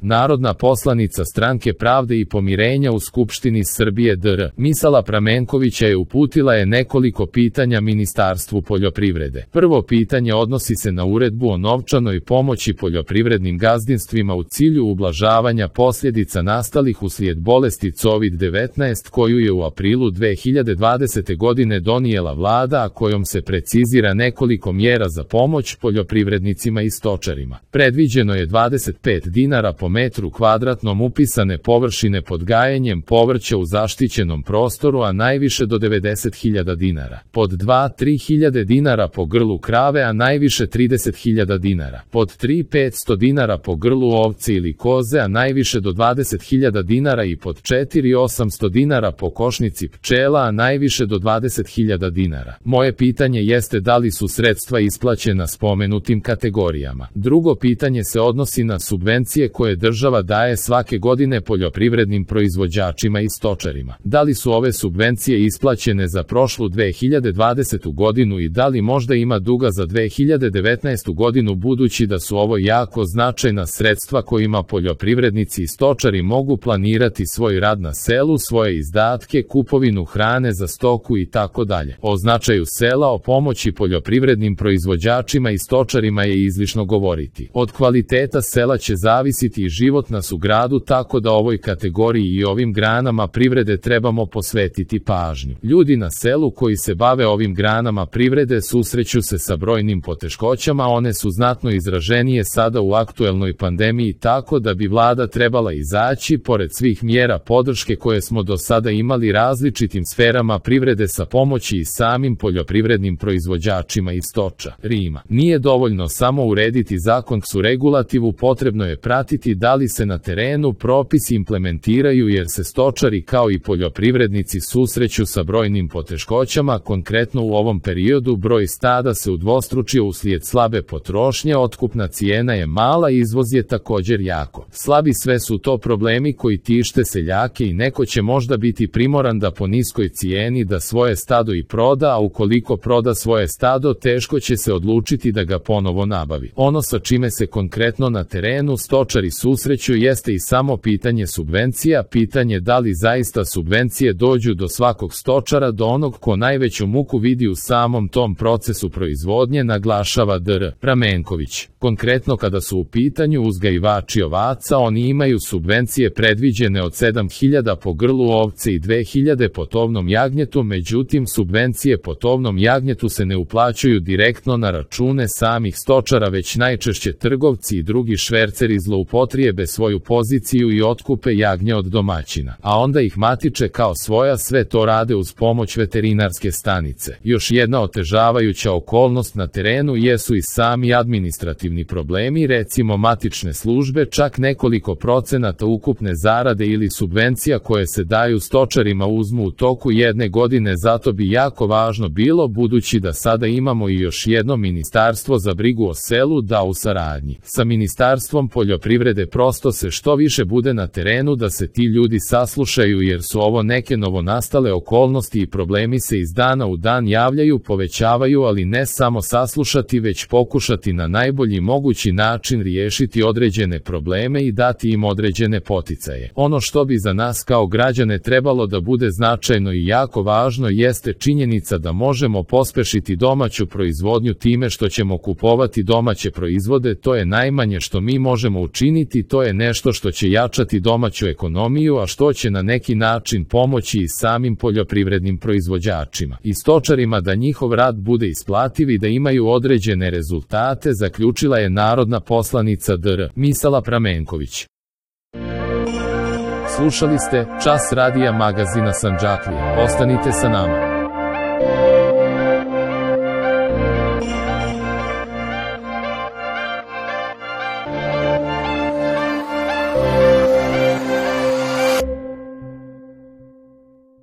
Narodna poslanica Stranke pravde i pomirenja u Skupštini Srbije dr. Misala Pramenkovića uputila je nekoliko pitanja Ministarstvu poljoprivrede. Prvo pitanje odnosi se na uredbu o novčanoj pomoći poljoprivrednim gazdinstvima u cilju ublažavanja posljedica nastalih uslijed bolesti COVID-19 koju je u aprilu 2020. godine donijela vlada, a kojom se precizira nekoliko mjera za pomoć poljoprivrednicima i stočarima. Predviđeno je 25 dinara po metru kvadratnom upisane površine pod gajenjem povrća u zaštićenom prostoru, a najviše do 90.000 dinara. Pod 2-3.000 dinara po grlu krave, a najviše 30.000 dinara. Pod 3-500 dinara po grlu ovce ili koze, a najviše do 20.000 dinara i pod 4-800 dinara po košnici pčela, a najviše do 20.000 dinara. Moje pitanje jeste da li su sredstva isplaćena spomenutim kategorijama. Drugo pitanje se odnosi na subvencije koje država daje svake godine poljoprivrednim proizvođačima i stočarima. Da li su ove subvencije isplaćene za prošlu 2020. godinu i da li možda ima duga za 2019. godinu, budući da su ovo jako značajna sredstva kojima poljoprivrednici i stočari mogu planirati svoj rad na selu, svoje izdatke, kupovinu hrane za stoku i tako dalje. O značaju sela, o pomoći poljoprivrednim proizvođačima i stočarima je izlišno govoriti. Od kvaliteta sela će zavisiti i život nas u gradu, tako da ovoj kategoriji i ovim granama privrede trebamo posvetiti pažnju. Ljudi na selu koji se bave ovim granama privrede susreću se sa brojnim poteškoćama, one su znatno izraženije sada u aktuelnoj pandemiji, tako da bi vlada trebala izaći pored svih mjera podrške koje smo do sada imali različitim sferama privrede sa pomoći i samim poljoprivrednim proizvođačima i stočarima. Nije dovoljno samo urediti zakonsku regulativu, potrebno je pratiti da li se na terenu propisi implementiraju, jer se stočari kao i poljoprivrednici susreću sa brojnim poteškoćama. Konkretno u ovom periodu broj stada se udvostručio uslijed slabe potrošnje, otkupna cijena je mala, izvoz je također jako slabi. Sve su to problemi koji tište seljake i neko će možda biti primoran da po niskoj cijeni da svoje stado i proda, a ukoliko proda svoje stado teško će se odlučiti da ga ponovo nabavi. Ono sa čime se konkretno na terenu stočari susreću jeste i samo pitanje subvencija, pitanje da li zaista subvencije dođu do svakog stočara, do onog ko najveću muku vidi u samom tom procesu proizvodnje, naglašava dr. Pramenković. Konkretno kada su u pitanju uzgajivači ovaca, oni imaju subvencije predviđene od 7.000 po grlu ovce i 2.000 po tovnom jagnjetu, međutim subvencije po tovnom jagnjetu se ne uplaćuju direktno na račune samih stočara, već najčešće trgovci i drugi šverceri zloupotrijebe svoju poziciju i otkupe jagnje od domaćina, a onda ih matiče kao svoja. Sve to rade uz pomoć veterinarske stanice. Još jedna otežavajuća okolnost na terenu jesu i sami administrativni problemi, recimo matične službe. Čak nekoliko procenata ukupne zarade ili subvencija koje se daju stočarima uzmu u toku jedne godine, zato bi jako važno bilo, budući da sada imamo i još jedno ministarstvo za brigu o selu, da u saradnji sa Ministarstvom poljoprivrede prosto se što više bude na terenu, da se ti ljudi saslušaju, jer su ovo neke novonastale okolnosti i problemi se iz dana u dan javljaju, povećavaju, ali ne samo saslušati, već pokušati na najbolji mogući način riješiti određene probleme i dati im određene poticaje. Ono što bi za nas kao građane trebalo da bude značajno i jako važno jeste činjenica da možemo pospešiti domaću proizvodnju time što ćemo kupovati domaće proizvode. To je najmanje što mi možemo učiniti, to je nešto što će jačati domaću ekonomiju, a što će na neki način pomoći i samim poljoprivrednim proizvođačima i stočarima da njihov rad bude isplativ i da imaju određene rezultate, zaključila je narodna poslanica dr. Misala Pramenković. Slušali ste Čas radija magazina Sandžaklija. Ostanite sa nama.